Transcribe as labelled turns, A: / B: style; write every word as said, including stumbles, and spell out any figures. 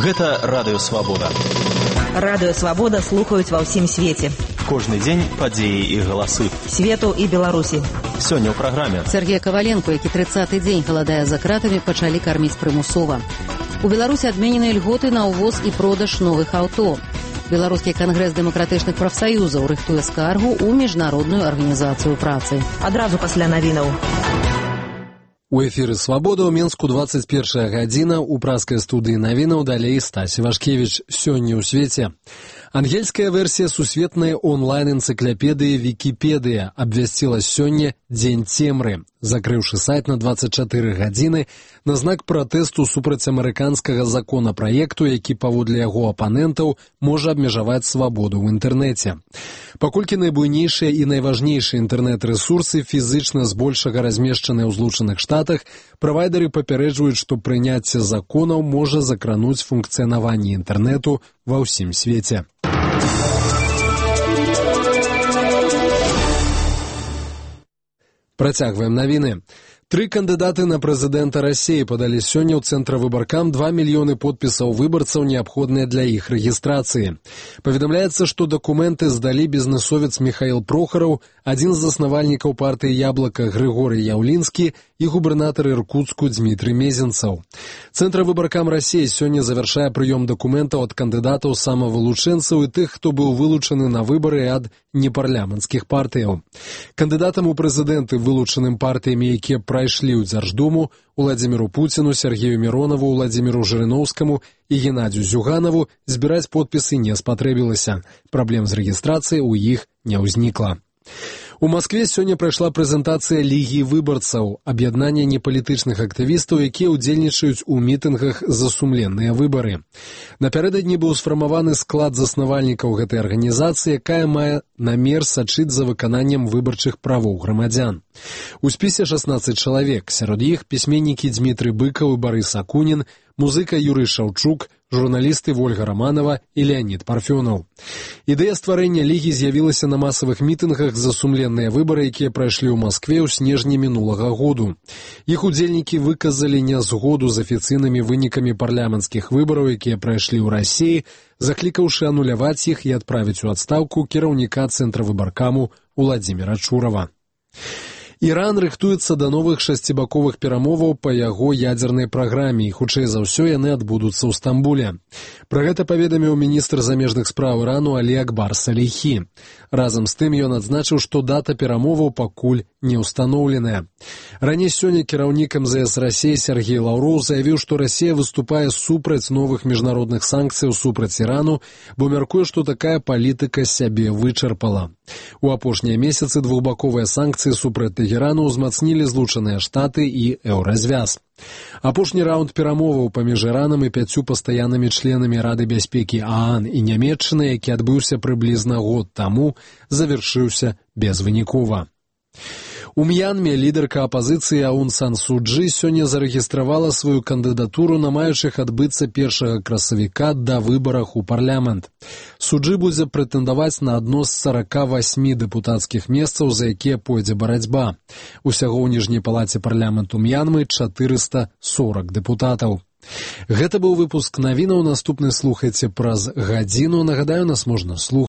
A: Гэта Радыё Свабода.
B: Радыё Свабода слухаюць ва ўсім свеце.
A: Кожны дзень падзеі і галасы.
B: Свету і Беларусі.
A: Сёння ў праграме.
C: Сергей Коваленко, які трыццаты дзень галадае за кратамі, пачалі карміць прымусова. У Беларусі адменены льготы на ўвоз і продаж новых аўто. Беларускі кангрэс дэмакратычных прафсаюзаў рыхтуе скаргу ў міжнародную арганізацыю працы.
B: Адразу пасля навінаў.
D: У эфіры «Свабода» ў Менску двадцать первая гадзіна, у праскай студыі навінаў далей Стась Івашкевіч. Сёння ў свеце. Ангельская версія сусветнай онлайн-энцыклапедыі «Вікіпедыя» абвясціла сёння Дзень цемры, закрыўшы сайт на двадцать четыре гадзіны на знак пратэсту супраць амерыканскага законапраекту, які паводле яго апанентаў можа абмежаваць свабоду ў інтэрнэце. Паколькі найбуйнейшыя і найважнейшыя інтэрнэт-рэсурсы фізычна збольшага размешчаныя ў Злучаных Штатах, правайдары папярэджваюць, што прыняцце законаў можа закрануць функцыянаванне інтэрнэту ва ўсім свеце. Працягваем навіны. Тры кандыдаты на прэзідэнта Расіі падалі сёння ў цэнтравыбаркам два мільёны подпісаў выбарцаў, неабходныя для іх рэгістрацыі. Паведамляецца, што дакументы здалі бізнэсовец Міхаіл Прохараў, адзін з заснавальнікаў партыі «Яблака» Грыгорый Яўлінскі і губернатар Іркутску Дмітрый Мезенцаў. Цэнтравыбаркам Расіі сёння завяршае прыём дакументаў ад кандыдатаў самавылучэнцаў і тых, хто быў вылучаны на выбары ад непарламенцкіх партыяў. Кандыдатам у прэзідэнты, вылучаным партыямі, якія прайшлі ў Дзярждуму, Уладзіміру Пуціну, Сергею Міронаву, Уладзіміру Жырыноўскаму і Геннадзю Зюганаву збіраць подпісы не спатрэбілася. Праблем з рэгістрацыяй у іх не ўзнікла. У Маскве сёння прайшла прэзентацыя Лігі выбарцаў, аб'яднання непалітычных актывістаў, якія ўдзельнічаюць у мітынгах за сумленныя выбары. Напярэдадні быў сфармаваны склад заснавальнікаў гэтай арганізацыі, якая мае намер сачыць за выкананнем выбарчых правоў грамадзян. У спісе шаснаццаць чалавек, сярод іх пісьменнікі Дмітрый Быкаў і Барыс Акунін, музыка Юрый Шаўчук, журналісты Вольга Раманова і Леонід Парфёнаў. Ідэя стварэння Лігі з'явілася на масавых мітынгах за сумленныя выбары, якія прайшлі ў Маскве ў снежні мінулага году. Іх удзельнікі выказалі нязгоду з афіцыйнымі вынікамі парламенцкіх выбараў, якія прайшлі ў Расіі, заклікаўшы ануляваць іх і адправіць у адстаўку кіраўніка цэнтравыбаркаму Уладзіміра Чурава. Іран рыхтуецца да новых шасцібаковых перамоваў па яго ядзернай праграме, і хутчэй за ўсё яны адбудуцца ў Стамбуле. Пра гэта паведаміў міністр замежных спраў Ірану Алі Акбар Саліхі. Разам з тым ён адзначыў, што дата перамоваў пакуль не ўстаноўленая. Раней сёння кіраўнік эм зэ эс Расіі Сергей Лаўроў заявіў, што Расія выступае супраць новых міжнародных санкцыяў супраць Ірану, бо мяркуе, што такая палітыка сябе вычарпала. У апошнія месяцы двухбаковыя санкцыі супраць Тэхерану ўзмацнілі Злучаныя Штаты і Еўразвяз. Апошні раунд перамоваў паміж Іранам і пяццю пастаяннымі членамі Рады бяспекі ААН і Нямецчыны, які адбыўся прыблізна год таму, завяршыўся безвынікова. У М'янме лідарка апазіцыі Аун Сан Су Чжы сёння зарэгістравала сваю кандыдатуру на маючых адбыцца першага красавіка да выбарах у парламент. Су Чжы будзе прэтэндаваць на адно з сарака васьмі дэпутацкіх месцаў, за якія пойдзе барацьба. Усяго ў ніжняй палаце парламенту М'янмы чатырыста сорок дэпутатаў. Гэта быў выпуск навінаў, наступны слухайце праз гадзіну. Нагадаю, нас можна слухаць